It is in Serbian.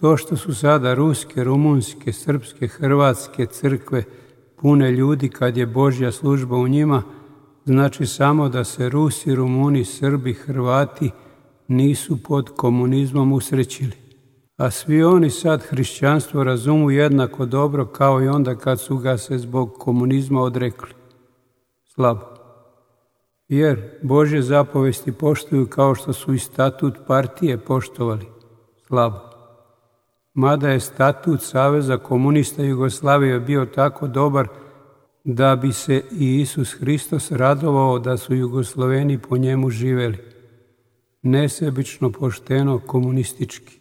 To što su sada ruske, rumunske, srpske, hrvatske crkve pune ljudi kad je Božja služba u njima, znači samo da se Rusi, Rumuni, Srbi, Hrvati nisu pod komunizmom usrećili. A svi oni sad hrišćanstvo razumu jednako dobro kao i onda kad su ga se zbog komunizma odrekli. Slabo. Jer Božje zapovesti poštuju kao što su i statut partije poštovali. Slabo. Mada je statut Saveza komunista Jugoslavije bio tako dobar da bi se i Isus Hristos radovao da su Jugosloveni po njemu živeli. Nesebično, pošteno, komunistički.